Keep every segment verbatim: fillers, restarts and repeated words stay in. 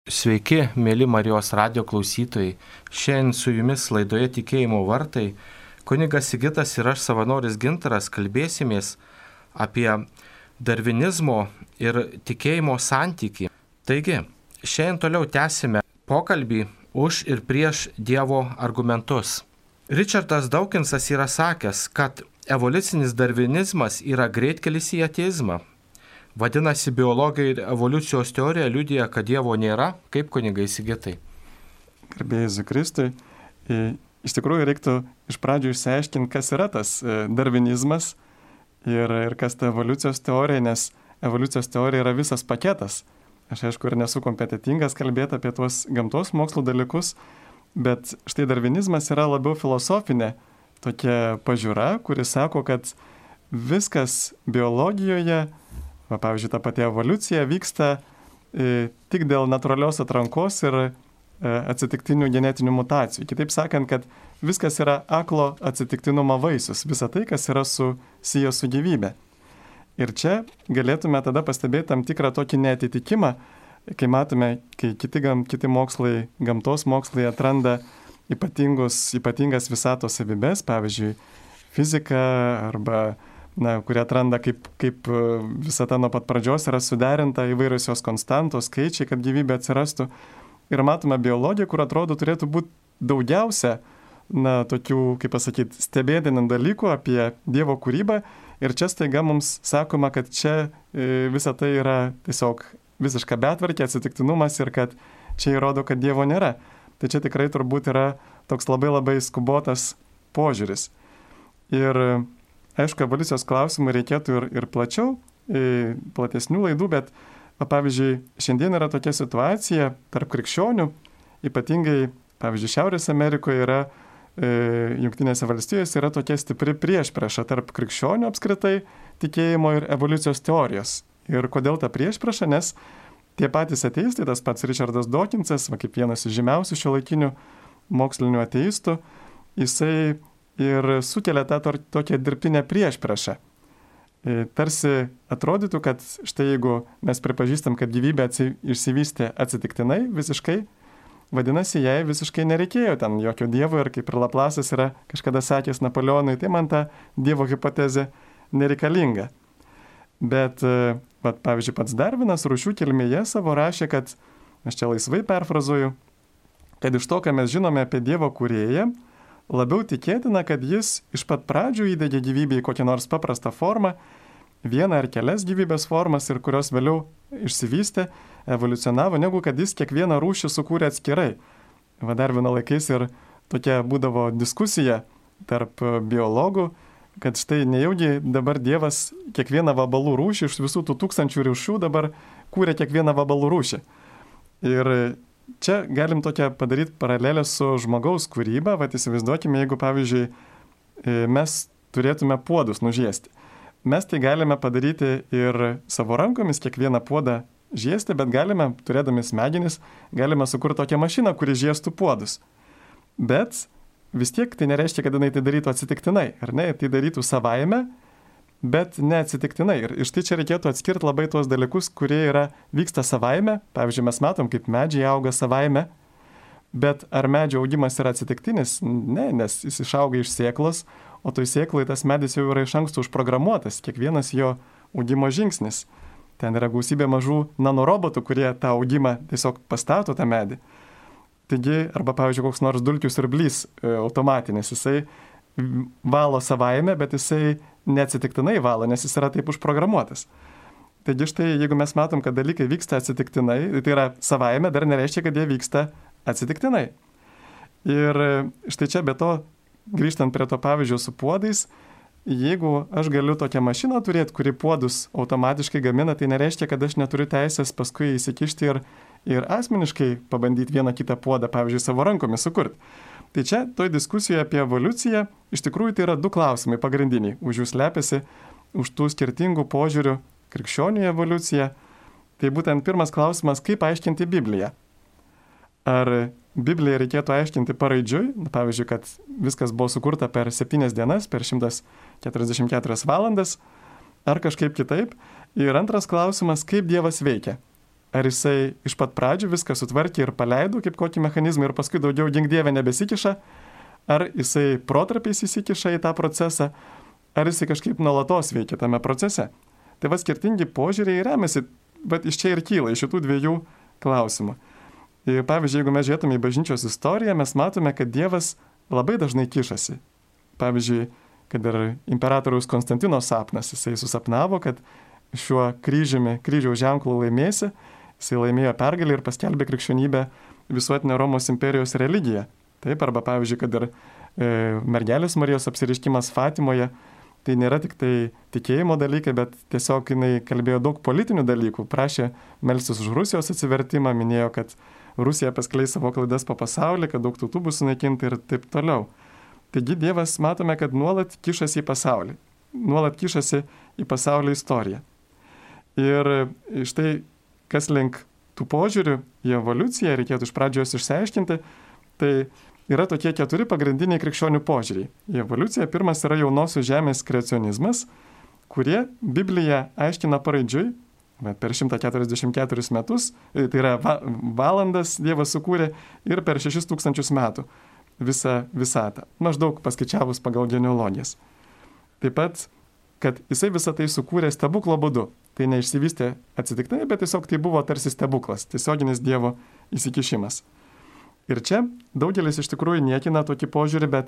Sveiki, mėly Marijos radijo klausytojai. Šiandien su jumis laidoje Tikėjimo vartai kunigas Sigitas ir aš, savanoris Gintaras, kalbėsimės apie darvinizmo ir tikėjimo santykį. Taigi, šiandien toliau tęsime pokalbį už ir prieš Dievo argumentus. Richardas Dawkinsas yra sakęs, kad evoliucinis darvinizmas yra greitkelis į ateizmą. Vadinasi, biologija ir evoliucijos teorija liudija, kad Dievo nėra, kaip kunigai Sigitai. Garbė Jėzui Kristui. Iš tikrųjų, reiktų iš pradžių išsiaiškinti, kas yra tas darvinizmas ir, ir kas ta evoliucijos teorija, nes evoliucijos teorija yra visas paketas. Aš aišku ir nesu kompetitingas kalbėti apie tuos gamtos mokslų dalykus, bet štai darvinizmas yra labiau filosofinė tokia pažiūra, kuri sako, kad viskas biologijoje, va, pavyzdžiui, ta pati evoliucija vyksta e, tik dėl natūralios atrankos ir e, atsitiktinių genetinių mutacijų. Kitaip sakant, kad viskas yra aklo atsitiktinumo vaisius, visa tai, kas yra susiję su gyvybė. Ir čia galėtume tada pastebėti tam tikrą tokį neatitikimą, kai matome, kai kiti, gam, kiti mokslai, gamtos mokslai atranda ypatingas visatos savybės, pavyzdžiui, fizika arba na, kurie atranda, kaip, kaip visata nuo pat pradžios yra suderinta, įvairios jos konstantos, skaičiai, kad gyvybė atsirastų. Ir matome biologiją, kur atrodo turėtų būti daugiausia, na, tokių, kaip pasakyti, stebėtinų dalykų apie Dievo kūrybą. Ir čia staiga mums sakoma, kad čia e, visa tai yra tiesiog visiška betvarkė, atsitiktinumas ir kad čia įrodo, kad Dievo nėra. Tai čia tikrai turbūt yra toks labai labai skubotas požiūris. Ir aišku, evoliucijos klausimų reikėtų ir, ir plačiau, ir platesnių laidų, bet, pavyzdžiui, šiandien yra tokia situacija tarp krikščionių, ypatingai, pavyzdžiui, Šiaurės Amerikoje yra, e, Jungtinėse valstijose yra tokia stipri priešprieša tarp krikščionių apskritai tikėjimo ir evoliucijos teorijos. Ir kodėl ta priešprieša? Nes tie patys ateistai, tas pats Richardas Dawkinsas, va, kaip vienas iš žymiausių šiuolaikinių mokslinių ateistų, jisai ir sukelia tą to, tokią dirbtinę priešpriešą. E, tarsi atrodytų, kad štai jeigu mes pripažįstam, kad gyvybė atsi, išsivystė atsitiktinai visiškai, vadinasi, jai visiškai nereikėjo ten jokio dievo ir kaip ir Laplasas yra kažkada sakęs Napoleonui, tai man ta dievo hipotezė nereikalinga. Bet, vat, pavyzdžiui, pats Darvinas Rūšių kilmėje savo rašė, kad, aš čia laisvai perfrazuoju, kad iš to, ką mes žinome apie Dievo kūrėją, labiau tikėtina, kad jis iš pat pradžių įdegė gyvybę į kokią nors paprastą formą, vieną ar kelias gyvybės formas ir kurios vėliau išsivystė, evoliucionavo, negu kad jis kiekvieną rūšį sukūrė atskirai. Va, Darvino laikais ir tokia būdavo diskusija tarp biologų, kad štai nejaugi dabar Dievas kiekvieną vabalų rūšį iš visų tų tūkstančių rūšių dabar kūrė kiekvieną vabalų rūšį. Ir čia galim tokią padaryti paralelę su žmogaus kūryba. Vat įsivaizduokime, jeigu, pavyzdžiui, mes turėtume puodus nužiesti. Mes tai galime padaryti ir savo rankomis, kiekvieną puodą žiesti, bet galime, turėdami smegenis, galime sukurti tokią mašiną, kuri žiestų puodus. Bet vis tiek tai nereiškia, kad jinai tai darytų atsitiktinai, ar ne? Tai darytų savaime, bet ne atsitiktinai. Ir iš tai čia reikėtų atskirti labai tuos dalykus, kurie yra, vyksta savaime. Pavyzdžiui, mes matom, kaip medžiai auga savaime, bet ar medžio augimas yra atsitiktinis? Ne, nes jis išauga iš sėklos, o toj sėklai tas medis jau yra iš anksto užprogramuotas, kiekvienas jo augimo žingsnis. Ten yra gausybė mažų nanorobotų, kurie tą augimą tiesiog pastato tą medį. Taigi, arba, pavyzdžiui, koks nors dulkių siurblys e, automatinis, jisai valo savaime, bet jisai neatsitiktinai valo, nes jis yra taip užprogramuotas. Taigi štai, jeigu mes matom, kad dalykai vyksta atsitiktinai, tai yra savaime, dar nereiškia, kad jie vyksta atsitiktinai. Ir štai čia be to, grįžtant prie to pavyzdžio su puodais, jeigu aš galiu tokią mašiną turėti, kuri puodus automatiškai gamina, tai nereiškia, kad aš neturiu teisės paskui įsikišti ir ir asmeniškai pabandyti vieną kitą puodą, pavyzdžiui, savo rankomis sukurti. Tai čia, toj diskusijoje apie evoliuciją, iš tikrųjų tai yra du klausimai pagrindiniai. Už jų slepiasi, už tų skirtingų požiūrių krikščionių evoliuciją. Tai būtent pirmas klausimas, kaip aiškinti Bibliją. Ar Bibliją reikėtų aiškinti paraidžiui, pavyzdžiui, kad viskas buvo sukurta per septynias dienas, per šimtas keturiasdešimt keturias valandas, ar kažkaip kitaip. Ir antras klausimas, kaip Dievas veikia. ar jisai iš pat pradžių viską sutvarkė ir paleido kaip kokį mechanizmą ir paskui daugiau gink Dieve nebesikiša, ar jisai protarpiais įsikiša į tą procesą, ar jisai kažkaip nuolatos veikia tame procese. Tai va skirtingi požiūriai remiasi, bet iš čia ir kyla, iš šitų dviejų klausimų. Ir pavyzdžiui, jeigu mes žiūrėtume į bažnyčios istoriją, mes matome, kad Dievas labai dažnai kišasi. Pavyzdžiui, kad ir imperatoriaus Konstantino sapnas, jisai susapnavo, kad šiuo kryžiumi, kryžiaus ženklu laimėsi, jisai laimėjo pergalę ir paskelbė krikščionybę visuotinę Romos imperijos religiją. Taip, arba pavyzdžiui, kad ir e, mergelės Marijos apsireiškimas Fatimoje, tai nėra tik tai tikėjimo dalykai, bet tiesiog jinai kalbėjo daug politinių dalykų, prašė melstis už Rusijos atsivertimą, minėjo, kad Rusija paskleis savo klaidas po pasaulį, kad daug tautų bus sunaikinta ir taip toliau. Taigi Dievas matome, kad nuolat kišasi į pasaulį, nuolat kišasi į pasaulio istoriją. Ir štai kas link tų požiūrių į evoliuciją reikėtų iš pradžios išsiaiškinti, tai yra tokie keturi pagrindiniai krikščionių požiūriai. Į evoliuciją pirmas yra jaunosios žemės kreacionizmas, kurie Bibliją aiškina paraidžiui, per šimtą keturiasdešimt keturis metus, tai yra va, valandas Dievas sukūrė ir per šešis tūkstančius metų visą visatą, maždaug paskaičiavus pagal genealogijas. Taip pat, kad jisai visą tai sukūrė stebuklo būdu. Tai neišsivystė atsitiktinai, bet tiesiog tai buvo tarsi stebuklas, tiesioginis Dievo įsikišimas. Ir čia daugelis iš tikrųjų niekina tokį požiūrį, bet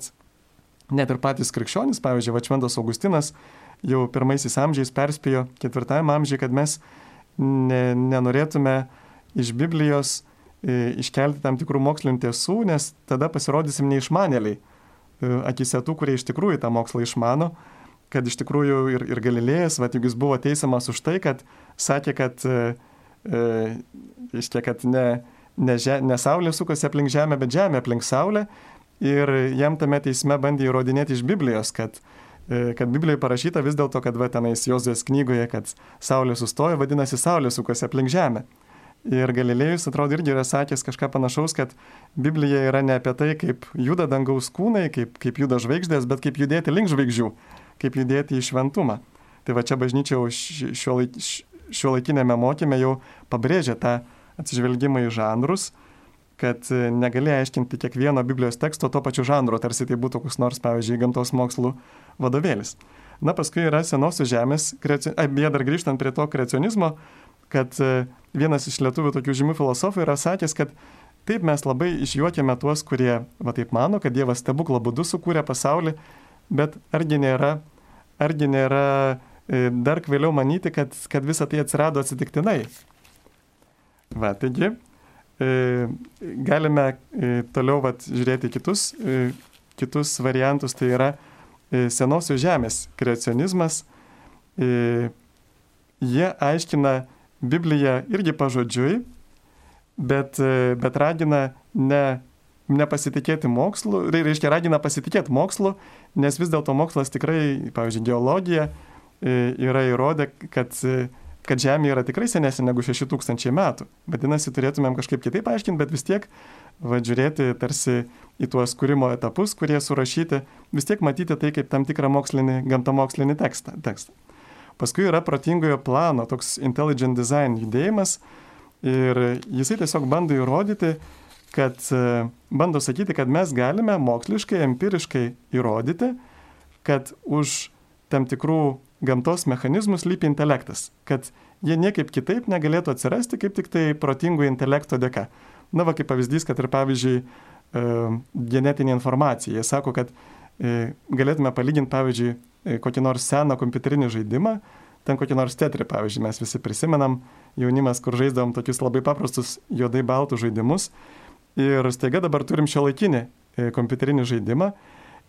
net ir patys krikščionys, pavyzdžiui, Šventas Augustinas jau pirmaisiais amžiais perspėjo ketvirtajame amžiuje, kad mes ne, nenorėtume iš Biblijos e, iškelti tam tikrų mokslinių tiesų, nes tada pasirodysim neišmanėliai, e, akise tų, kurie iš tikrųjų tą mokslą išmano, kad iš tikrųjų ir, ir Galilėjas, va, juk jis buvo teisiamas už tai, kad sakė, kad, e, e, iškia, kad ne, ne, ne Saulė sukosi aplink Žemę, bet Žemė aplink Saulę. Ir jam tame teisme bandė įrodinėti iš Biblijos, kad, e, kad Biblijoje parašyta vis dėlto, kad va, tenais Jozuės knygoje, kad Saulė sustojo, vadinasi Saulė sukosi aplink Žemę. Ir Galilėjus, atrodo, irgi yra sakęs kažką panašaus, kad Biblija yra ne apie tai, kaip juda dangaus kūnai, kaip, kaip juda žvaigždės, bet kaip judėti link žvaigždžių, kaip judėti į šventumą. Tai va čia bažnyčia šiuolaikinėme mokyme jau pabrėžia tą atsižvelgimą į žanrus, kad negali aiškinti kiekvieno Biblijos teksto to pačiu žanru, tarsi tai būtų koks nors, pavyzdžiui, gamtos mokslų vadovėlis. Na, paskui yra senosios žemės, kreaci... beje, dar grįžtant prie to kreacionizmo, kad vienas iš lietuvių tokių žymių filosofų yra sakęs, kad taip mes labai išjuokėme tuos, kurie va taip mano, kad Dievas stebuklo būdu sukūrė pasaulį, bet argi nėra, argi nėra dar vėliau manyti, kad, kad visa tai atsirado atsitiktinai. Va, taigi, galime toliau vat, žiūrėti kitus, kitus variantus, tai yra senosios žemės kreacionizmas. Jie aiškina Bibliją irgi pažodžiui, bet, bet ragina ne, nepasitikėti mokslu, reiškia ragina pasitikėti mokslu, nes vis dėlto mokslas tikrai, pavyzdžiui, geologija yra įrodę, kad, kad Žemė yra tikrai senesnė negu šeši tūkstančiai metų. Vadinasi, turėtumėm kažkaip kitaip aiškinti, bet vis tiek va, žiūrėti tarsi į tuos kūrimo etapus, kurie surašyti, vis tiek matyti tai kaip tam tikrą mokslinį, gamtamokslinį tekstą. tekstą. Paskui yra protingojo plano, toks intelligent design judėjimas ir jisai tiesiog bando įrodyti, kad, bando sakyti, kad mes galime moksliškai, empiriškai įrodyti, kad už tam tikrų gamtos mechanizmų slypi intelektas, kad jie niekaip kitaip negalėtų atsirasti, kaip tik tai protingo intelekto dėka. Na, va, kaip pavyzdys, kad ir pavyzdžiui genetinė informacija. Jie sako, kad galėtume palyginti, pavyzdžiui, kokį nors seną kompiuterinį žaidimą, ten kokį nors tetrį, pavyzdžiui, mes visi prisimenam jaunimas, kur žaisdavom tokius labai paprastus juodai baltus žaidimus ir staiga dabar turim šiuolaikinį kompiuterinį žaidimą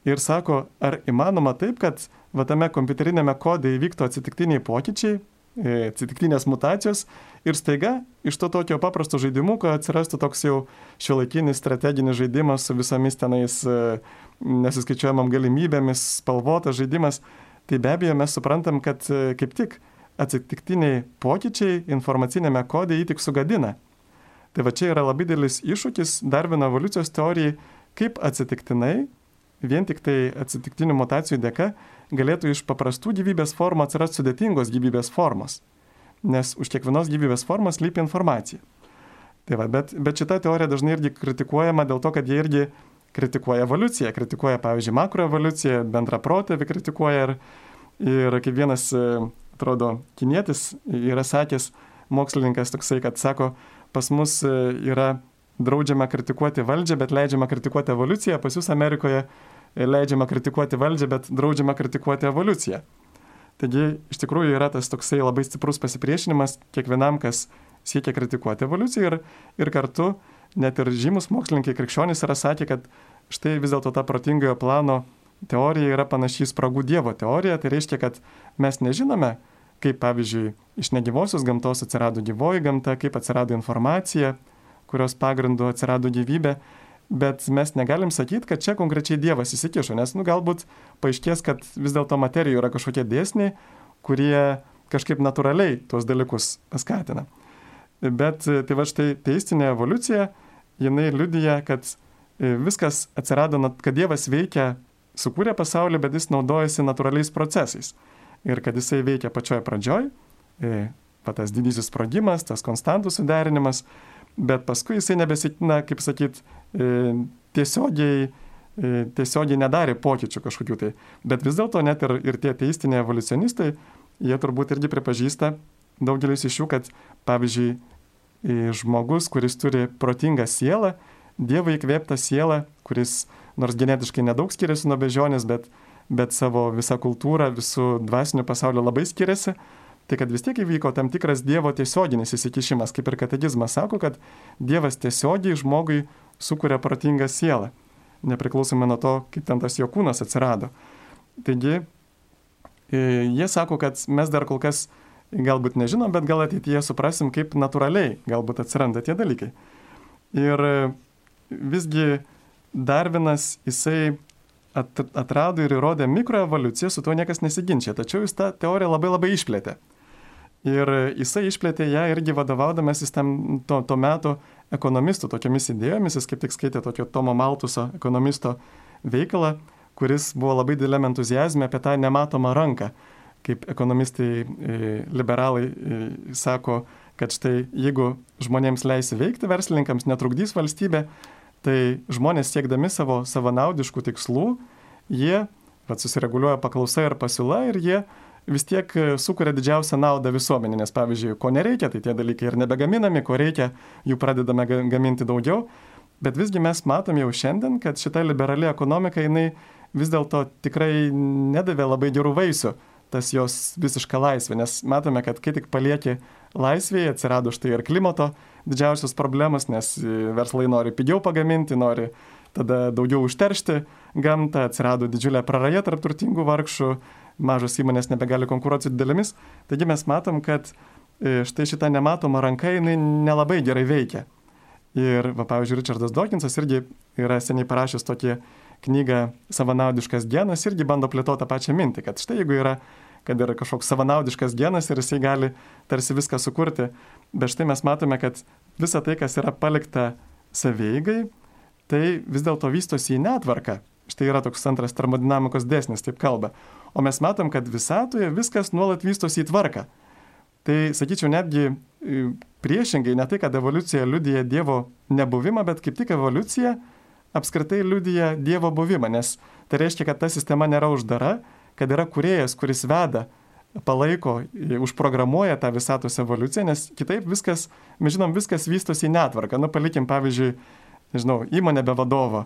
ir sako, ar įmanoma taip, kad va, tame kompiuterinėme kode įvyktų atsitiktiniai pokyčiai, atsitiktinės mutacijos ir staiga iš to tokio paprasto žaidimuko atsirastų toks jau šiuolaikinis strateginis žaidimas su visomis tenais nesuskaičiuojamam galimybėmis, spalvotas žaidimas. Tai be abejo mes suprantam, kad kaip tik atsitiktiniai pokyčiai informacinėme kode jį tik sugadina. Tai va čia yra labai didelis iššūkis Darvino evoliucijos teorijai, kaip atsitiktinai, vien tik tai atsitiktinių mutacijų dėka, galėtų iš paprastų gyvybės formų atsirasti sudėtingos gyvybės formos. nes už kiekvienos gyvybės formos slypi informacija. Tai va, bet, bet šita teorija dažnai irgi kritikuojama dėl to, kad jie irgi kritikuoja evoliuciją, kritikuoja, pavyzdžiui, makroevoliuciją, bendrą protėvį kritikuoja ir, ir kaip vienas, atrodo, kinietis yra sakęs, mokslininkas toksai, kad sako, pas mus yra draudžiama kritikuoti valdžią, bet leidžiama kritikuoti evoliuciją, pas jūs Amerikoje leidžiama kritikuoti valdžią, bet draudžiama kritikuoti evoliuciją. Taigi, iš tikrųjų yra tas toksai labai stiprus pasipriešinimas kiekvienam, kas siekia kritikuoti evoliuciją ir, ir kartu net ir žymus mokslininkai krikščionys yra sakę, kad štai vis dėlto ta protingojo plano teorija yra panašiai spragų Dievo teorija, tai reiškia, kad mes nežinome, kaip pavyzdžiui iš negyvosios gamtos atsirado gyvoji gamta, kaip atsirado informacija, kurios pagrindu atsirado gyvybė, bet mes negalim sakyti, kad čia konkrečiai Dievas įsikišo, nes nu, galbūt paaiškės, kad vis dėlto materijoje yra kažkokie dėsniai, kurie kažkaip natūraliai tuos dalykus paskatina. Bet tai va štai teistinė evoliucija, jinai liudija, kad viskas atsirado, kad Dievas veikia, sukūrė pasaulį, bet jis naudojasi natūraliais procesais. Ir kad jisai veikia pačioj pradžioj, pa tas didysis sprogimas, tas konstantų suderinimas, bet paskui jisai nebesitina, kaip sakyt, tiesiogiai, tiesiogiai nedarė pokyčių kažkokių tai. Bet vis dėlto net ir, ir tie teistiniai evoliucionistai, jie turbūt irgi pripažįsta, daugelis iš jų, kad pavyzdžiui, žmogus, kuris turi protingą sielą, Dievo įkvėptą sielą, kuris nors genetiškai nedaug skiriasi nuo bežionės, bet, bet savo visą kultūrą, visų dvasinių pasaulio labai skiriasi, tai kad vis tiek įvyko tam tikras Dievo tiesioginis įsikišimas, kaip ir katekizmas sako, kad Dievas tiesiogiai žmogui sukuria protingą sielą, nepriklausomai nuo to, kaip ten tas jo kūnas atsirado. Taigi, jie sako, kad mes dar kol kas galbūt nežinom, bet gal ateityje suprasim, kaip natūraliai galbūt atsiranda tie dalykai. Ir visgi Darvinas, jisai atrado ir įrodė mikroevoliuciją, su tuo niekas nesiginčia, tačiau jis tą teoriją labai labai išplėtė. Ir jisai išplėtė ją irgi vadovaudamasis tam to, to meto ekonomistų tokiamis idėjomis, jis kaip tik skaitė tokio Tomo Maltuso ekonomisto veikalą, kuris buvo labai dideliam entuzijazme apie tą nematomą ranką, kaip ekonomistai liberalai sako, kad štai jeigu žmonėms leisi veikti, verslininkams netrukdys valstybė, tai žmonės siekdami savo savanaudiškų tikslų, jie vat, susireguliuoja paklausa ir pasiūla ir jie vis tiek sukuria didžiausią naudą visuomenė, nes pavyzdžiui, ko nereikia, tai tie dalykai ir nebegaminami, ko reikia, jų pradedame gaminti daugiau, bet visgi mes matom jau šiandien, kad šita liberali ekonomika, jinai vis dėlto tikrai nedavė labai gerų vaisių, tas jos visiška laisvė, nes matome, kad kai tik palieki laisvėje, atsirado štai ir klimato didžiausios problemos, nes verslai nori pigiau pagaminti, nori tada daugiau užteršti gamtą, atsirado didžiulė praraja tarp turtingų vargšų, mažos įmonės nebegali konkuruoti su didelėmis. Taigi mes matom, kad štai šita nematoma ranka, jinai nelabai gerai veikia. Ir, va, pavyzdžiui, Richardas Dawkinsas irgi yra seniai parašęs tokį knygą Savanaudiškas genas, irgi bando plėtoti tą pačią mintį, kad štai jeigu yra, kad yra kažkoks savanaudiškas genas ir jisai gali tarsi viską sukurti, bet štai mes matome, kad visa tai, kas yra palikta savieigai, tai vis dėlto vystosi į netvarką. Štai yra toks antras termodinamikos dėsnis, taip kalba. O mes matom, kad visatoje viskas nuolat vystosi į tvarką. Tai, sakyčiau, netgi priešingai, ne tai, kad evoliucija liudija Dievo nebuvimą, bet kaip tik evoliucija apskritai liudija Dievo buvimą, nes tai reiškia, kad ta sistema nėra uždara, kad yra kūrėjas, kuris veda, palaiko, užprogramuoja tą visatos evoliuciją, nes kitaip viskas, mes žinom, viskas vystosi į netvarką. Nu, palikim, pavyzdžiui, nežinau, įmonė be vadovo,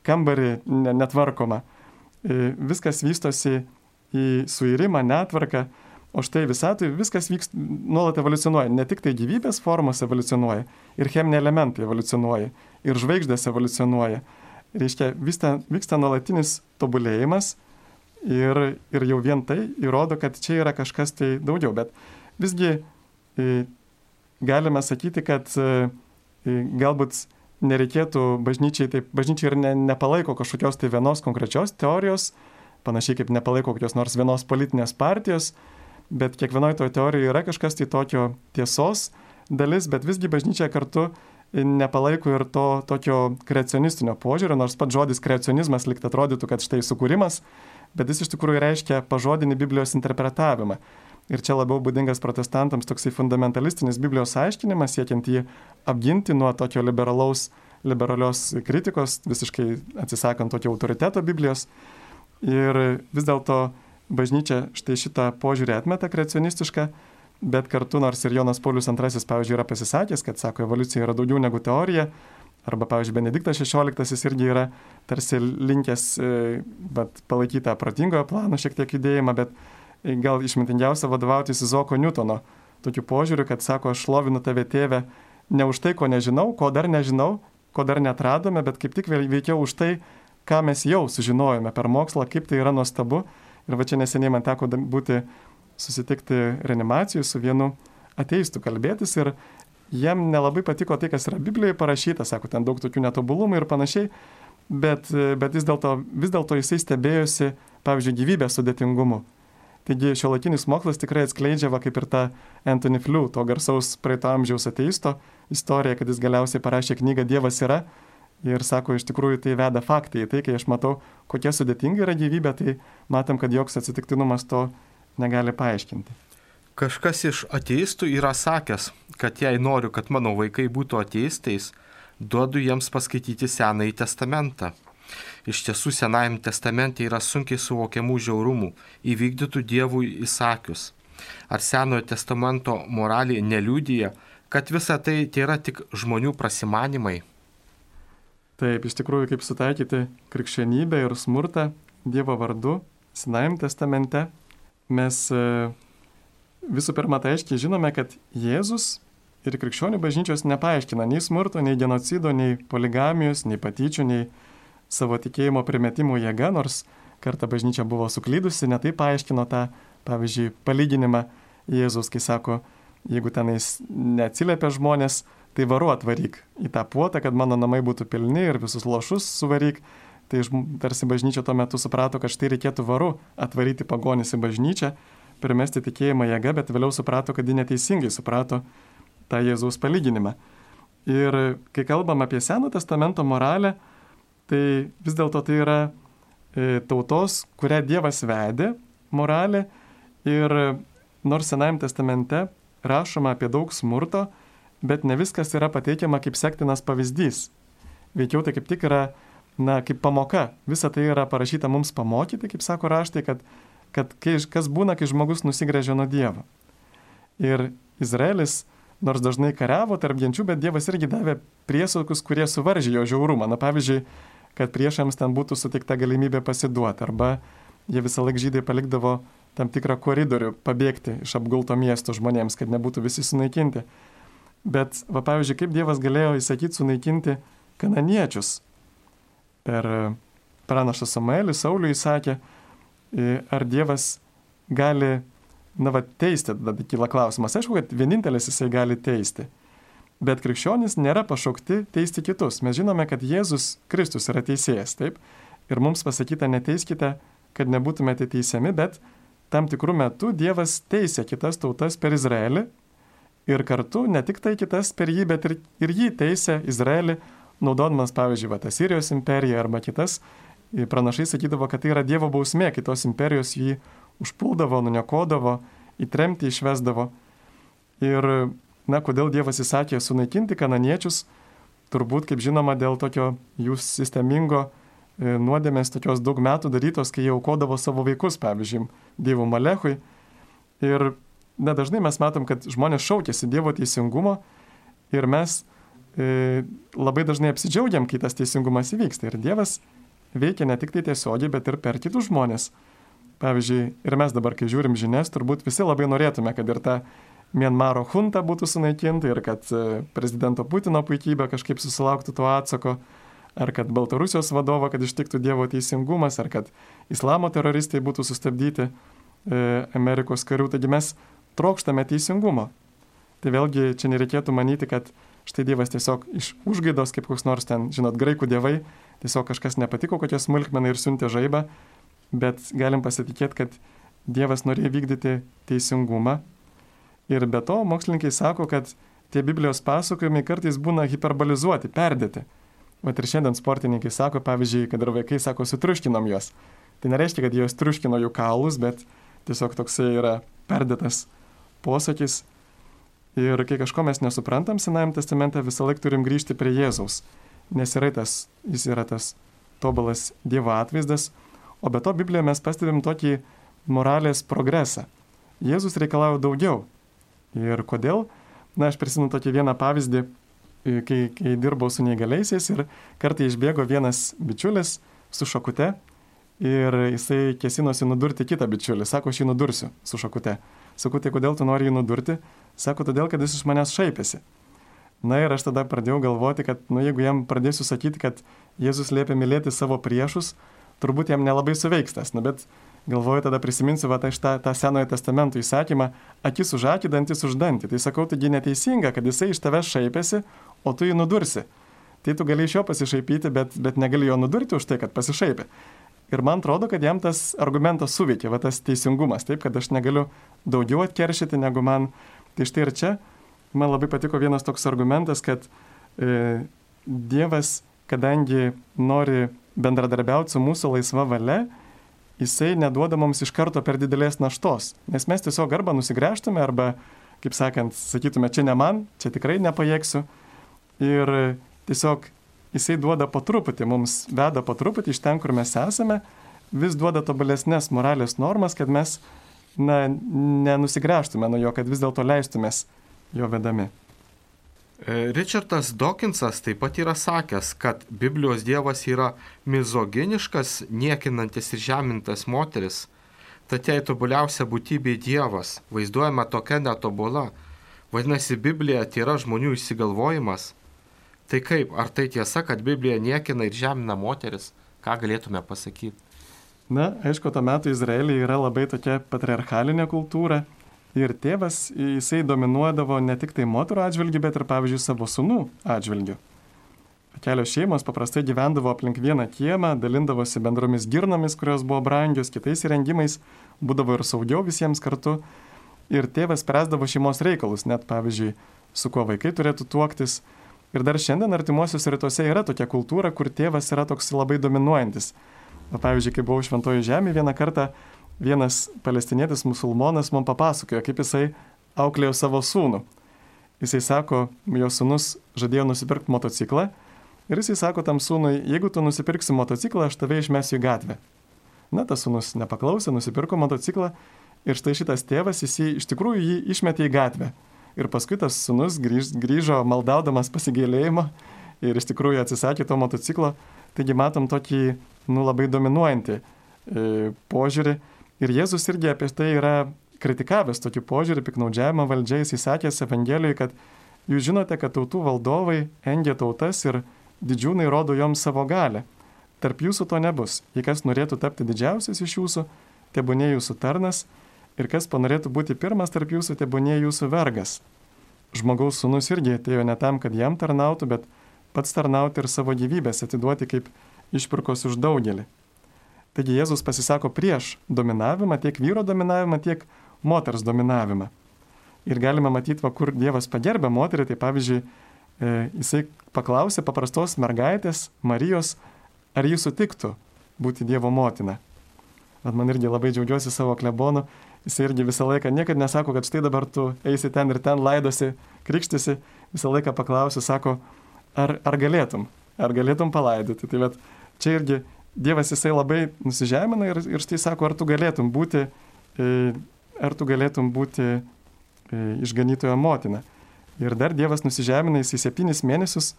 kambarį netvarkoma, viskas vystosi į suirimą, netvarką, o štai visatui viskas vyks, nuolat evoliucionuoja, ne tik tai gyvybės formos evoliucionuoja, ir cheminiai elementai evoliucionuoja, ir žvaigždės evoliucionuoja. Reiškia, vyksta, vyksta nuolatinis tobulėjimas ir, ir jau vien tai įrodo, kad čia yra kažkas tai daugiau, bet visgi e, galime sakyti, kad e, galbūt nereikėtų bažnyčiai, taip, bažnyčiai ir ne, nepalaiko kažkokios tai vienos konkrečios teorijos, panašiai kaip nepalaiko kokios nors vienos politinės partijos, bet kiekvienoje toje teorijoje yra kažkas tai tokio tiesos dalis, bet visgi bažnyčia kartu nepalaiko ir to tokio kreacionistinio požiūrio, nors pats žodis kreacionizmas lyg atrodytų, kad štai sukūrimas, bet jis iš tikrųjų reiškia pažodinį Biblijos interpretavimą. Ir čia labiau būdingas protestantams toksai fundamentalistinis Biblijos aiškinimas, siekiant jį apginti nuo tokio liberalaus, liberalios kritikos, visiškai atsisakant tokio autoriteto Biblijos. Ir vis dėlto bažnyčia štai šitą požiūrį atmeta kreacionistišką, bet kartu nors ir Jonas Paulius antrasis, pavyzdžiui, yra pasisakęs, kad, sako, evoliucija yra daugiau negu teorija, arba, pavyzdžiui, Benediktas šešioliktasis irgi yra tarsi linkęs bet, palaikyti tą protingojo plano šiek tiek judėjimą, bet gal išmintingiausia vadovautis Izoko Newtono tokiu požiūriu, kad, sako, aš šlovinu tave, tėve, ne už tai, ko nežinau, ko dar nežinau, ko dar netradome, bet kaip tik veikiau už tai, ką mes jau sužinojome per mokslą, kaip tai yra nuostabu. Ir va čia neseniai man teko būti, susitikti reanimacijų su vienu ateistu kalbėtis ir jam nelabai patiko tai, kas yra Biblijoje parašyta, sako, ten daug tokių netobulumų ir panašiai, bet, bet vis dėlto, vis dėlto jisai stebėjosi, pavyzdžiui, gyvybės sudėtingumu. Taigi šiuolaikinis mokslas tikrai atskleidžia, va, kaip ir ta Anthony Flew, to garsaus praeito amžiaus ateisto istorija, kad jis galiausiai parašė knygą Dievas yra. Ir sako, iš tikrųjų tai veda faktai. Tai, kai aš matau, kokia sudėtinga yra gyvybė, tai matom, kad joks atsitiktinumas to negali paaiškinti. Kažkas iš ateistų yra sakęs, kad jei noriu, kad mano vaikai būtų ateistais, duodu jiems paskaityti Senąjį testamentą. Iš tiesų, Senajame testamente yra sunkiai suvokiamų žiaurumų, įvykdytų Dievui įsakius. Ar Senojo testamento moralė neliudija, kad visa tai tai yra tik žmonių prasimanimai? Taip, iš tikrųjų, kaip sutaikyti krikščionybę ir smurtą Dievo vardu Senajame testamente, mes visų pirma tai aiškiai žinome, kad Jėzus ir krikščionių bažnyčios nepaaiškina nei smurto, nei genocido, nei poligamijos, nei patyčių, nei savo tikėjimo primetimų jėga, nors kartą bažnyčia buvo suklydusi, netai paaiškino tą, pavyzdžiui, palyginimą Jėzus, kai sako, jeigu tenais neatsiliepia žmonės, tai varu atvaryk į tą puotą, kad mano namai būtų pilni ir visus lošus suvaryk. Tai tarsi bažnyčia tuo metu suprato, kad štai reikėtų varu atvaryti pagonis į bažnyčią, primesti tikėjimą jėga, bet vėliau suprato, kad ji neteisingai suprato tą Jėzaus palyginimą. Ir kai kalbam apie Seno testamento moralę, tai vis dėlto tai yra e, tautos, kurią Dievas vedė moralė. Ir nors Senajame testamente rašoma apie daug smurto, bet ne viskas yra pateikiama kaip sektinas pavyzdys. Veikiau tai kaip tik yra, na, kaip pamoka. Visa tai yra parašyta mums pamokyti, kaip sako raštai, kad, kad kai, kas būna, kai žmogus nusigręžia nuo Dievo. Ir Izraelis, nors dažnai kariavo tarp genčių, bet Dievas irgi davė priesaukus, kurie suvaržė jo žiaurumą. Na, pavyzdžiui, kad priešams ten būtų suteikta galimybė pasiduoti, arba jie visą laiką žydai palikdavo tam tikrą koridorių pabėgti iš apgulto miesto žmonėms, kad nebūtų visi sunaikinti. Bet, va, pavyzdžiui, kaip Dievas galėjo įsakyti sunaikinti kananiečius. Per pranašą Samuelį, Sauliui įsakė, ar Dievas gali, na, va, teisti, tada kyla klausimas. Aišku, kad vienintelis jisai gali teisti. Bet krikščionys nėra pašaukti teisti kitus. Mes žinome, kad Jėzus Kristus yra teisėjas, taip? Ir mums pasakyta, neteiskite, kad nebūtumėte teisiami, bet tam tikrų metų Dievas teisė kitas tautas per Izraelį. Ir kartu ne tik tai kitas per jį, bet ir, ir jį teisė Izraelį, naudodamas, pavyzdžiui, va, Asirijos imperiją arba kitas. Pranašai sakydavo, kad tai yra Dievo bausmė, kitos imperijos jį užpuldavo, nuniokodavo, į tremtį išvesdavo. Ir, na, kodėl Dievas įsakė sunaikinti kananiečius, turbūt, kaip žinoma, dėl tokio jų sistemingo nuodėmės, tokios daug metų darytos, kai jie aukodavo savo vaikus, pavyzdžiui, Dievo Malechui. Ir na, dažnai mes matom, kad žmonės šaukėsi Dievo teisingumo ir mes e, labai dažnai apsidžiaugiam, kai tas teisingumas įvyksta. Ir Dievas veikia ne tik tai tiesiogiai, bet ir per kitus žmonės. Pavyzdžiui, ir mes dabar, kai žiūrim žinias, turbūt visi labai norėtume, kad ir ta Mianmaro junta būtų sunaikinta ir kad prezidento Putino puikybė kažkaip susilauktų to atsako, ar kad Baltarusijos vadovo, kad ištiktų Dievo teisingumas, ar kad islamo teroristai būtų sustabdyti e, Amerikos karių. Taigi mes trokštame teisingumo. Tai vėlgi čia nereikėtų manyti, kad štai Dievas tiesiog iš užgaidos, kaip koks nors ten, žinot, graikų dievai, tiesiog kažkas nepatiko, kokia smulkmena ir siuntė žaibą, bet galim pasitikėti, kad Dievas norėjo vykdyti teisingumą. Ir be to mokslininkai sako, kad tie Biblijos pasakojimai kartais būna hiperbolizuoti, perdėti. Vat ir šiandien sportininkai sako, pavyzdžiui, kad ir vaikai sako, sutriuškinom juos. Tai nereiškia, kad jos triuškino jų kaulus, bet tiesiog toksai yra perdėtas posakis. Ir kai kažko mes nesuprantam Senajame testamente, visą laiką turim grįžti prie Jėzaus, nes yra tas, jis yra tas tobulas Dievo atvaizdas, o be to Biblijoje mes pastebim tokį moralės progresą. Jėzus reikalauja daugiau. Ir kodėl? Na, aš prisimenu tokį vieną pavyzdį, kai, kai dirbau su neįgaliaisiais ir kartą išbėgo vienas bičiulis su šakute ir jisai kėsinosi nudurti kitą bičiulį. Sako, aš jį nudursiu su šakute. Sakau, tai kodėl tu nori jį nudurti? Sako, todėl, kad jis iš manęs šaipėsi. Na ir aš tada pradėjau galvoti, kad, nu, jeigu jam pradėsiu sakyti, kad Jėzus liepia mylėti savo priešus, turbūt jam nelabai suveiks tas. Na, bet galvoju, tada prisiminsiu va, tą, tą Senojo testamento įsakymą, akis už akį, dantis už dantį. Tai sakau, taigi neteisinga, kad jisai iš tavęs šaipėsi, o tu jį nudursi. Tai tu gali iš jo pasišaipyti, bet, bet negali jo nudurti už tai, kad pasišaipė. Ir man atrodo, kad jam tas argumentas suveikė, va tas teisingumas, taip, kad aš negaliu daugiau atkeršyti negu man. Tai štai ir čia man labai patiko vienas toks argumentas, kad e, Dievas, kadangi nori bendradarbiauti su mūsų laisva valia, jisai neduoda mums iš karto per didelės naštos. Nes mes tiesiog arba nusigręžtume, arba, kaip sakant, sakytume, čia ne man, čia tikrai nepajėgsiu. Ir tiesiog jisai duoda po truputį, mums veda po truputį iš ten, kur mes esame, vis duoda tobulesnės moralės normas, kad mes na, nenusigręžtume nuo jo, kad vis dėlto leistumės jo vedami. Richardas Dawkinsas taip pat yra sakęs, kad Biblijos Dievas yra mizoginiškas, niekinantis ir žemintas moteris. Tad jei tobuliausia būtybė Dievas, vaizduojama tokia netobula, vadinasi, Biblija tai yra žmonių išsigalvojimas. Tai kaip, ar tai tiesa, kad Biblija niekina ir žemina moteris? Ką galėtume pasakyti? Na, aišku, tuo metu Izraelyje yra labai tokia patriarchalinė kultūra ir tėvas, jisai dominuodavo ne tik tai moterų atžvilgių, bet ir, pavyzdžiui, savo sūnų atžvilgių. Kelios šeimos paprastai gyvendavo aplink vieną kiemą, dalindavosi bendromis girnomis, kurios buvo brangios, kitais įrengimais, būdavo ir saugiau visiems kartu. Ir tėvas spręsdavo šeimos reikalus, net, pavyzdžiui, su kuo vaikai turėtų tuoktis. Ir dar šiandien artimuosiuose rytuose yra tokia kultūra, kur tėvas yra toks labai dominuojantis. O pavyzdžiui, kai buvau Šventojoje žemėje, vieną kartą vienas palestinietis musulmonas man papasakojo, kaip jisai auklėjo savo sūnų. Jisai sako, jo sūnus žadėjo nusipirkti motociklą ir jisai sako tam sūnui, jeigu tu nusipirksi motociklą, aš tave išmesiu į gatvę. Na, tas sūnus nepaklausė, nusipirko motociklą ir štai šitas tėvas, jis iš tikrųjų jį išmetė į gatvę. Ir paskui tas sūnus grįž, grįžo maldaudamas pasigailėjimo ir iš tikrųjų atsisakė to motociklo. Taigi matom tokį, nu, labai dominuojantį e, požiūrį. Ir Jėzus irgi apie tai yra kritikavęs tokį požiūrį, piknaudžiavimą valdžia. Jis įsakęs Evangelijoje, kad jūs žinote, kad tautų valdovai engia tautas ir didžiūnai rodo joms savo galią. Tarp jūsų to nebus. Jei kas norėtų tapti didžiausias iš jūsų, tebūnie jūsų tarnas, ir kas panorėtų būti pirmas tarp jūsų, tebūnie jūsų vergas. Žmogaus sūnus irgi atėjo ne tam, kad jam tarnautų, bet pats tarnauti ir savo gyvybės atiduoti kaip išpirkos už daugelį. Taigi Jėzus pasisako prieš dominavimą, tiek vyro dominavimą, tiek moters dominavimą. Ir galime matyti, va, kur Dievas pagerbė moterį, tai pavyzdžiui, e, jisai paklausė paprastos mergaitės, Marijos, ar jis sutiktų būti Dievo motina. Bet man irgi labai džiaugiuosi savo klebonu, jisai irgi visą laiką niekad nesako, kad štai dabar tu eisi ten ir ten laidosi, krikštisi, visą laiką paklausiu, sako, ar, ar galėtum, ar galėtum palaidoti. Tai bet čia irgi Dievas jisai labai nusižemina ir, ir štai sako, ar tu galėtum būti, e, ar tu galėtum būti e, išganytojo motina. Ir dar Dievas nusižemina, jisai septynis mėnesius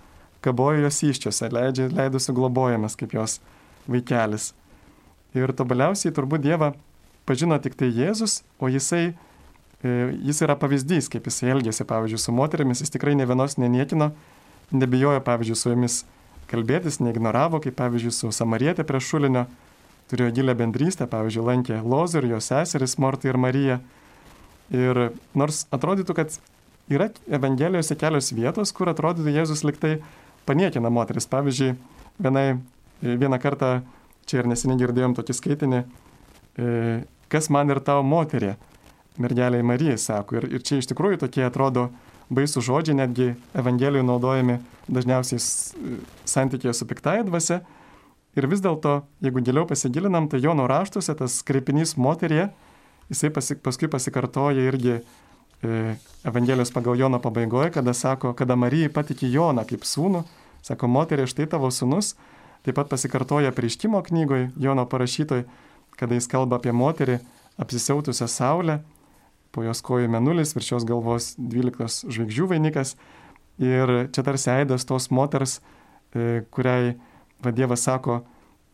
kabojo jos įsčiose, leidžia, leidusi globojamas kaip jos vaikelis. Ir tobuliausiai turbūt Dievą pažino tik tai Jėzus, o jisai, e, jis yra pavyzdys, kaip jisai elgėsi, pavyzdžiui, su moterimis, jis tikrai ne vienos neniekino, nebijojo, pavyzdžiui, su jomis kalbėtis, neignoravo, kaip pavyzdžiui su Samarietė prie šulinio, turėjo gilę bendrystę, pavyzdžiui, lankė Lozorių, jo seseris Mortą ir Mariją. Ir nors atrodytų, kad yra Evangelijose kelios vietos, kur atrodytų Jėzus liktai paniekina moteris. Pavyzdžiui, vienai, vieną kartą, čia ir neseniai girdėjom tokį skaitinį, kas man ir tau moterė, mergeliai Marijai, sako. Ir, ir čia iš tikrųjų tokie atrodo baisų žodžiai, netgi Evangelijoje naudojami dažniausiai santykėje su piktaja dvasia. Ir vis dėlto, jeigu giliau pasigilinam, tai Jono raštuose tas kreipinys moterie jisai pasi, paskui pasikartoja irgi e, Evangelijos pagal Joną pabaigoje, kada sako, kada Marijai patikė Joną kaip sūnų, sako, moterie, štai tavo sūnus. Taip pat pasikartoja Apreiškimo knygoje, Jono parašytoj, kada jis kalba apie moterį apsisiautusią saulę, po jos kojų mėnulis, virš jos galvos dvylikos žvaigždžių vainikas. Ir čia tarsi aidas tos moters, e, kuriai va, Dievas sako,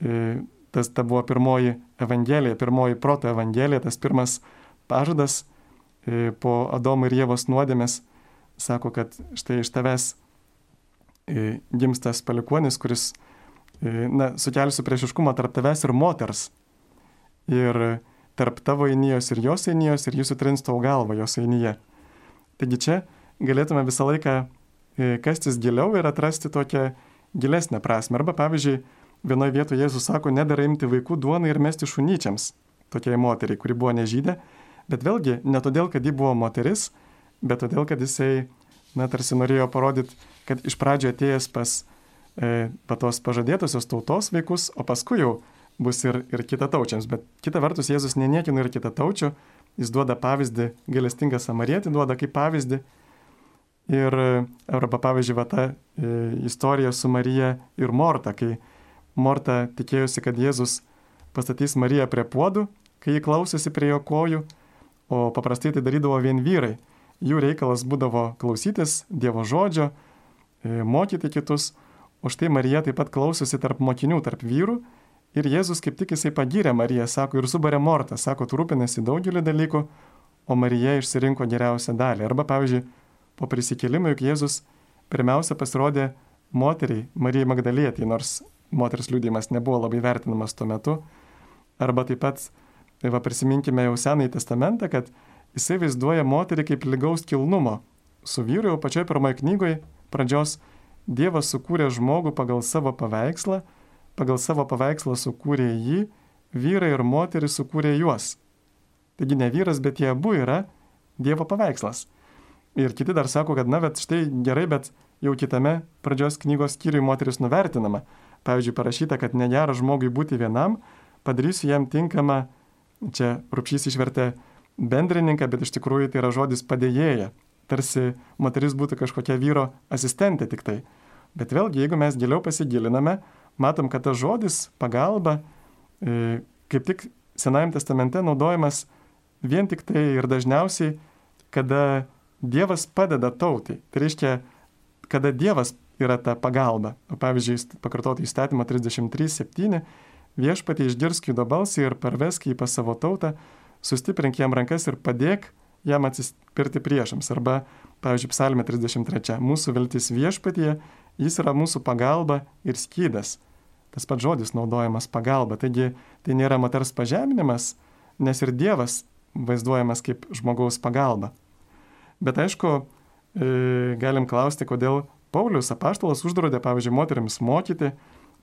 e, tas ta buvo pirmoji evangelija, pirmoji proto evangelija, tas pirmas pažadas e, po Adomo ir Ievos nuodėmės, sako, kad štai iš tavęs e, gims tas palikuonis, kuris na, sukelsiu priešiškumą tarp tavęs ir moters. Ir tarp tavo einijos ir jos einijos, ir jis sutrins tavo galvą jos einyje. Taigi čia galėtume visą laiką kastis giliau ir atrasti tokią gilesnę prasme. Arba pavyzdžiui, vienoje vietoje Jėzus sako, nedara imti vaikų duoną ir mesti šunyčiams, tokiai moteriai, kuri buvo nežydė. Bet vėlgi, ne todėl, kad ji buvo moteris, bet todėl, kad jisai, na, tarsi norėjo parodyti, kad iš pradžio atėjęs pas patos pažadėtusios tautos vaikus, o paskui jau bus ir, ir kitataučiams. Bet kita vertus, Jėzus neniekina ir kitataučių, jis duoda pavyzdį, gailestingą samarietį duoda kaip pavyzdį. Ir arba pavyzdžiui, va ta e, istorija su Marija ir Morta, kai Morta tikėjusi, kad Jėzus pastatys Mariją prie puodų, kai ji klausėsi prie jo kojų, o paprastai tai darydavo vien vyrai. Jų reikalas būdavo klausytis Dievo žodžio, e, mokyti kitus. O štai Marija taip pat klausosi tarp mokinių, tarp vyrų, ir Jėzus kaip tik jisai pagyrė Mariją, sako, ir subarė Mortą, sako, tu rūpinasi daugelį dalykų, o Marija išsirinko geriausią dalį. Arba, pavyzdžiui, po prisikėlimo, juk Jėzus pirmiausia pasirodė moteriai, Marijai Magdalietei, nors moters liudijimas nebuvo labai vertinamas tuo metu. Arba taip pat, va, prisiminkime jau Senąjį testamentą, kad jisai vaizduoja moterį kaip lygaus kilnumo su vyru, jau pačioje pirmoje knygoje pradžios. Dievas sukūrė žmogų pagal savo paveikslą, pagal savo paveikslą sukūrė jį, vyrai ir moteris sukūrė juos. Taigi ne vyras, bet jie abu yra Dievo paveikslas. Ir kiti dar sako, kad na, bet štai gerai, bet jau kitame pradžios knygos skyriui moteris nuvertinama. Pavyzdžiui, parašyta, kad negera žmogui būti vienam, padarysiu jam tinkamą, čia Rupšys išvertė bendrininką, bet iš tikrųjų tai yra žodis padėjėja. Tarsi moteris būtų kažkokia vyro asistentė tik tai. Bet vėlgi, jeigu mes giliau pasigiliname, matom, kad tas žodis pagalba e, kaip tik Senajame testamente naudojamas vien tik tai ir dažniausiai, kada Dievas padeda tautai. Tai reiškia, kada Dievas yra ta pagalba. O pavyzdžiui, pakartoti įstatymą trisdešimt trys septyni, viešpatie išgirsk judo balsą ir parvesk jį pas savo tautą, sustiprink jam rankas ir padėk jam atsispirti priešams. Arba, pavyzdžiui, psalmė trisdešimt trys. Mūsų viltis viešpatyje, jis yra mūsų pagalba ir skydas. Tas pats žodis naudojamas pagalba. Taigi tai nėra moters pažeminimas, nes ir Dievas vaizduojamas kaip žmogaus pagalba. Bet aišku, e, galim klausti, kodėl Paulius apaštalas uždraudė, pavyzdžiui, moterims mokyti.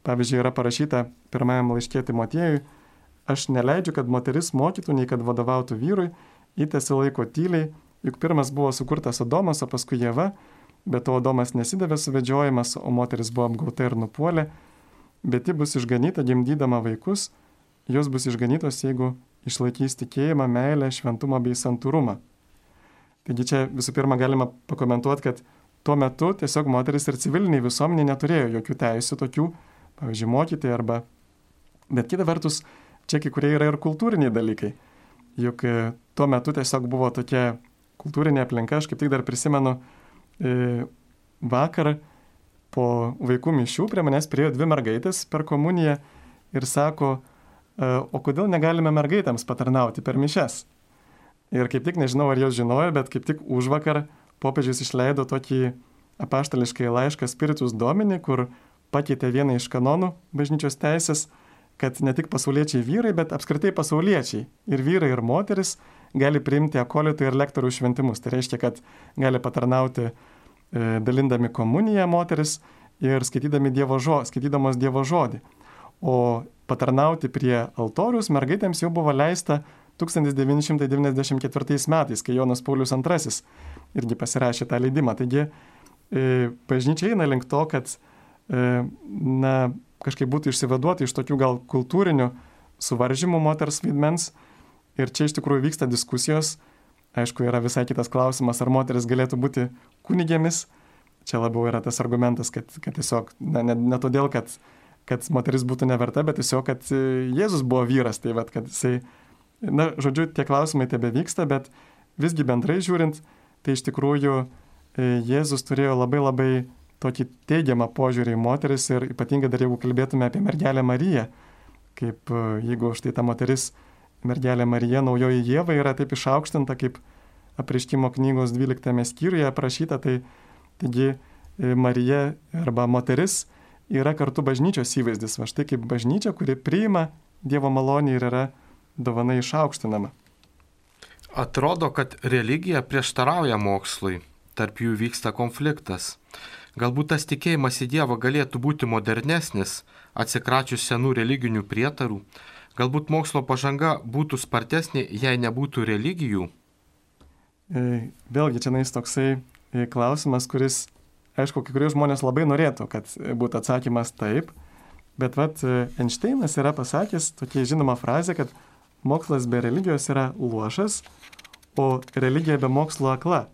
Pavyzdžiui, yra parašyta pirmajam laiške Timotiejui, aš neleidžiu, kad moteris mokytų, nei kad vadovautų vyrui, įtesi laiko tyliai, juk pirmas buvo sukurtas Adomas, o paskui Ieva, bet to Adomas nesidavė suvedžiojimas, o moteris buvo apgauta ir nupuolė, bet ji bus išganyta gimdydama vaikus, jos bus išganytos, jeigu išlaikys tikėjimą, meilę, šventumą bei santūrumą. Taigi čia visų pirma galima pakomentuoti, kad tuo metu tiesiog moteris ir civiliniai visuomeniai neturėjo jokių teisių tokių, pavyzdžiui, mokyti arba... Bet kita vertus, čia kai kurie yra ir kultūriniai dalykai. Juk tuo metu tiesiog buvo tokia kultūrinė aplinka, aš kaip tik dar prisimenu e, vakar po vaikų mišių prie manęs priėjo dvi mergaitės per komuniją ir sako, e, o kodėl negalime mergaitėms patarnauti per mišias? Ir kaip tik nežinau, ar jos žinojo, bet kaip tik užvakar popiežius išleido tokį apaštališkai laišką Spiritus Domini, kur pakeitė vieną iš kanonų bažnyčios teisės, kad ne tik pasauliečiai vyrai, bet apskritai pasauliečiai ir vyrai ir moteris gali priimti akolitų ir lektorių šventimus. Tai reiškia, kad gali patarnauti e, dalindami komuniją moteris ir skaitydami dievo žo, skaitydamos Dievo žodį. O patarnauti prie altorius mergaitėms jau buvo leista tūkstantis devyni šimtai devyniasdešimt ketvirtais metais, kai Jonas Paulius antrasis irgi pasirašė tą leidimą. Taigi e, bažnyčia eina link to, kad e, na, kažkaip būtų išsivaduoti iš tokių gal kultūrinių suvaržymų moters vaidmens Ir čia iš tikrųjų vyksta diskusijos. Aišku, yra visai kitas klausimas, ar moteris galėtų būti kunigėmis. Čia labiau yra tas argumentas, kad, kad tiesiog, na, ne, ne todėl, kad, kad moteris būtų neverta, bet tiesiog, kad Jėzus buvo vyras. Tai vat, kad jisai, na, žodžiu, tie klausimai tebe vyksta, bet visgi bendrai žiūrint, tai iš tikrųjų Jėzus turėjo labai labai tokį teigiamą požiūrį į moteris ir ypatingai dar jeigu kalbėtume apie mergelę Mariją, kaip jeigu štai ta moteris, mergelė Marija, naujoji Ieva, yra taip išaukštinta, kaip Apreiškimo knygos dvyliktame skyriuje aprašyta, tai taigi Marija arba moteris yra kartu bažnyčios įvaizdis, va štai kaip bažnyčia, kuri priima Dievo malonę ir yra dovana išaukštinama. Atrodo, kad religija prieštarauja mokslui, tarp jų vyksta konfliktas. Galbūt tas tikėjimas į Dievą galėtų būti modernesnis, atsikračius senų religinių prietarų. Galbūt mokslo pažanga būtų spartesnė, jei nebūtų religijų? Vėlgi, čia nais toksai klausimas, kuris, aišku, kai kurie žmonės labai norėtų, kad būtų atsakymas taip, bet vat Einšteinas yra pasakęs tokia žinoma frazė, kad mokslas be religijos yra luošas, o religija be mokslo akla.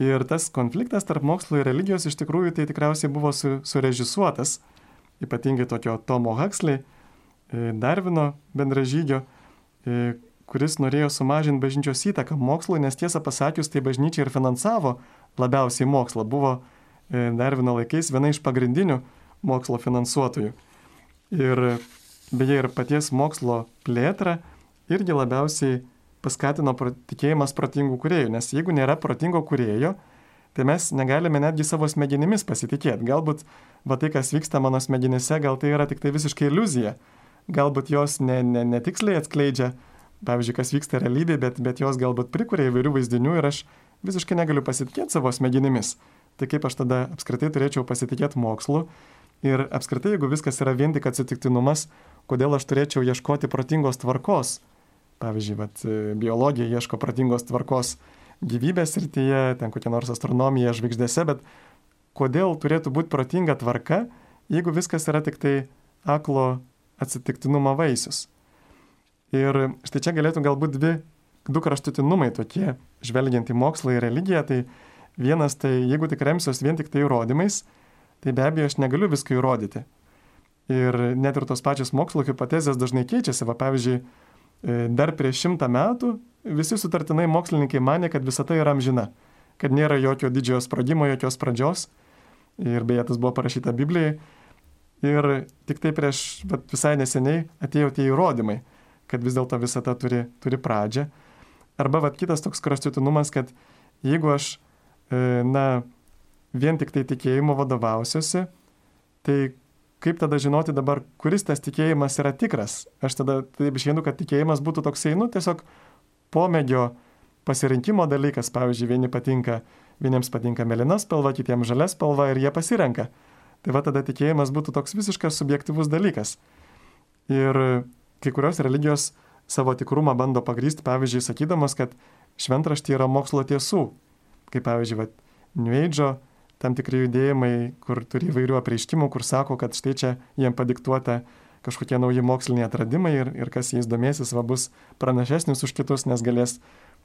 Ir tas konfliktas tarp mokslo ir religijos iš tikrųjų tai tikriausiai buvo su, surežisuotas, ypatingai tokio Tomo Huxley, Darvino bendražygio, kuris norėjo sumažinti bažnyčios įtaką mokslui, nes tiesą pasakius, tai bažnyčia ir finansavo labiausiai mokslą. Buvo Darvino laikais viena iš pagrindinių mokslo finansuotojų. Ir beje ir paties mokslo plėtrą irgi labiausiai paskatino tikėjimas protingų kūrėjų, nes jeigu nėra protingo kūrėjo, tai mes negalime netgi savo smegenimis pasitikėti. Galbūt va tai, kas vyksta mano smegenyse, gal tai yra tik tai visiškai iliuzija. Galbūt jos ne, ne, netiksliai atskleidžia, pavyzdžiui, kas vyksta realybėje, bet, bet jos galbūt prikuria įvairių vaizdinių ir aš visiškai negaliu pasitikėti savo smegenimis. Tai kaip aš tada apskritai turėčiau pasitikėti mokslu ir apskritai, jeigu viskas yra vien tik atsitiktinumas, kodėl aš turėčiau ieškoti protingos tvarkos. Pavyzdžiui, vat, biologija ieško protingos tvarkos gyvybės srityje, ten kokia nors astronomija žvaigždėse, bet kodėl turėtų būti protinga tvarka, jeigu viskas yra tik tai aklo atsitiktinumo vaisius. Ir štai čia galėtų galbūt dvi, du kraštutinumai tokie, žvelgiant į mokslą ir religiją. Tai vienas, tai jeigu tik remsiuos vien tik tai įrodymais, tai be abejo aš negaliu visko įrodyti. Ir net ir tos pačios mokslo hipotezės dažnai keičiasi. Va, pavyzdžiui, dar prieš šimtą metų visi sutartinai mokslininkai manė, kad visata yra amžina, kad nėra jokio didžiojo sprogimo, jokios pradžios. Ir beje, tas buvo parašyta Biblijai. Ir tik tai prieš vat, visai neseniai atėjo tie įrodymai, kad vis dėlto visata turi, turi pradžią. Arba vat, kitas toks kraštutinumas, kad jeigu aš e, na, vien tik tai tikėjimu vadovausiuosi, tai kaip tada žinoti dabar, kuris tas tikėjimas yra tikras? Aš tada taip išvienu, kad tikėjimas būtų toksai, nu, tiesiog pomėgio pasirinkimo dalykas. Pavyzdžiui, vieni patinka, vieniems patinka mėlyna spalva, kitiems žalia spalva ir jie pasirenka. Tai va tada tikėjimas būtų toks visiškas subjektyvus dalykas. Ir kai kurios religijos savo tikrumą bando pagrysti, pavyzdžiui, sakydamos, kad šventraštyje yra mokslo tiesų. Kaip pavyzdžiui, va, New Age'o tam tikri judėjimai, kur turi įvairių apreiškimų, kur sako, kad štai čia jiem padiktuota kažkokie nauji moksliniai atradimai ir, ir kas jais domėsis, va, bus pranašesnis už kitus, nes galės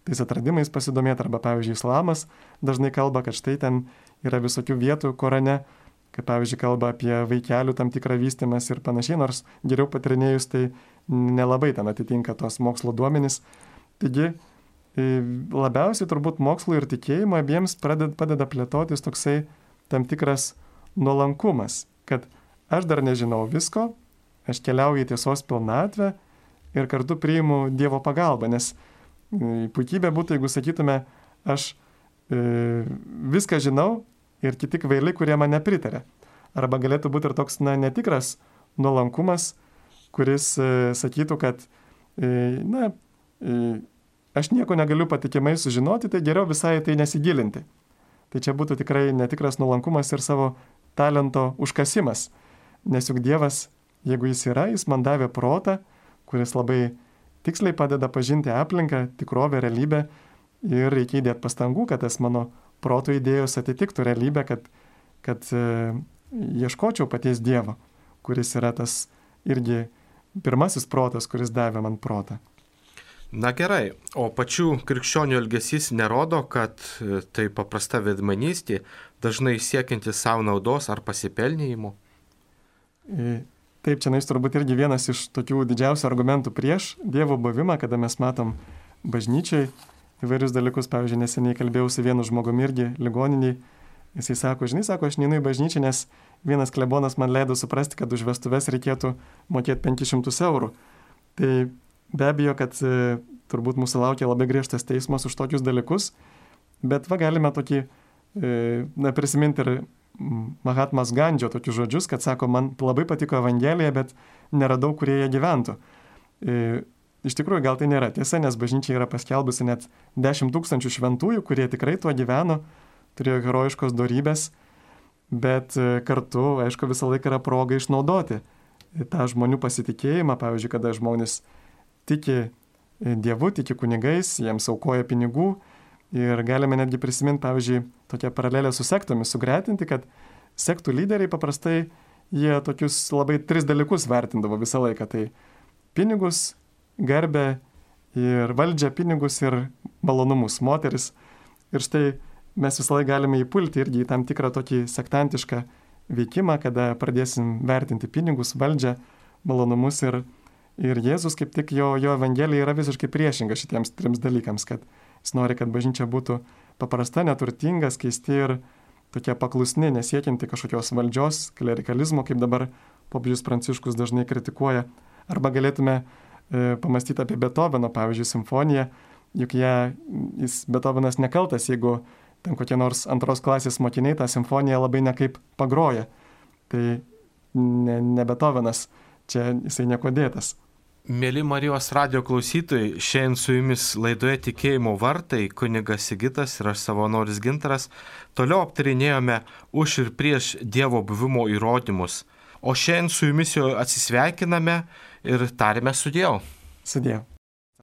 tais atradimais pasidomėti. Arba, pavyzdžiui, islamas dažnai kalba, kad štai ten yra visokių vietų Korane, kaip pavyzdžiui kalba apie vaikelių tam tikrą vystymas ir panašiai, nors geriau patirinėjus tai nelabai ten atitinka tos mokslo duomenys. Taigi labiausiai turbūt mokslo ir tikėjimo abiems padeda, padeda plėtotis toksai tam tikras nuolankumas, kad aš dar nežinau visko, aš keliauju į tiesos pilnatvę ir kartu priimu Dievo pagalbą, nes puikybė būtų, jeigu sakytume, aš e, viską žinau, ir kiti kvailiai, kurie man nepritarė. Arba galėtų būti ir toks, na, netikras nuolankumas, kuris e, sakytų, kad, e, na, e, aš nieko negaliu patikimai sužinoti, tai geriau visai tai nesigilinti. Tai čia būtų tikrai netikras nuolankumas ir savo talento užkasimas. Nes juk Dievas, jeigu jis yra, jis man davė protą, kuris labai tiksliai padeda pažinti aplinką, tikrovę, realybę ir reikia įdėti pastangų, kad tas mano proto idėjos atitiktų realybę, kad, kad e, ieškočiau paties Dievo, kuris yra tas irgi pirmasis protas, kuris davė man protą. Na gerai, o pačių krikščionių elgesys nerodo, kad tai paprasta veidmainystė, dažnai siekianti savo naudos ar pasipelnėjimo? Taip, čia nais turbūt irgi vienas iš tokių didžiausių argumentų prieš Dievo buvimą, kada mes matom bažnyčiai įvairius dalykus. Pavyzdžiui, neseniai kalbėjau su vienu žmogumi irgi ligoniniai. Jisai sako, žinai, sako, aš neinu į bažnyčią, nes vienas klebonas man leido suprasti, kad už vestuves reikėtų mokėti penkis šimtus eurų. Tai be abejo, kad e, turbūt mūsų laukia labai griežtas teismas už tokius dalykus, bet va galime tokį, e, na, prisiminti ir Mahatmas Gandžio tokius žodžius, kad sako, man labai patiko Evangelija, bet neradau, kurie jie gyventų. E, iš tikrųjų, gal tai nėra tiesa, nes bažnyčia yra paskelbusi net dešimt tūkstančių šventųjų, kurie tikrai tuo gyveno, turėjo herojiškos dorybės, bet e, kartu, aišku, visą laiką yra proga išnaudoti tą žmonių pasitikėjimą, pavyzdžiui, kada žmonės tiki Dievu, tiki kunigais, jiems aukoja pinigų ir galime netgi prisiminti, pavyzdžiui, tokią paralelę su sektomis, sugretinti, kad sektų lyderiai paprastai jie tokius labai tris dalykus vertindavo visą laiką. Tai pinigus, garbę ir valdžią, pinigus ir malonumus, moteris. Ir štai mes visą laiką galime įpulti irgi į tam tikrą tokį sektantišką veikimą, kada pradėsim vertinti pinigus, valdžią, malonumus ir Ir Jėzus kaip tik jo, jo Evangelija yra visiškai priešinga šitiems trims dalykams, kad jis nori, kad bažnyčia būtų paprasta, neturtinga, skaisti ir tokia paklusni, nesiekianti kažkokios valdžios, klerikalizmo, kaip dabar popiežius Pranciškus dažnai kritikuoja. Arba galėtume e, pamastyti apie Beethoveno, pavyzdžiui, simfoniją, juk ją, jis Beethovenas nekaltas, jeigu ten kokie nors antros klasės mokiniai tą simfoniją labai nekaip pagroja. Tai ne, ne Beethovenas, čia jisai nieko dėtas. Mėly Marijos radijo klausytojai, šiandien su jumis laidoje Tikėjimo vartai, kunigas Sigitas ir aš savanoris Gintaras, toliau aptarinėjome už ir prieš Dievo buvimo įrodymus. O šiandien su jumis jau atsisveikiname ir tarime sudiev. Sudiev.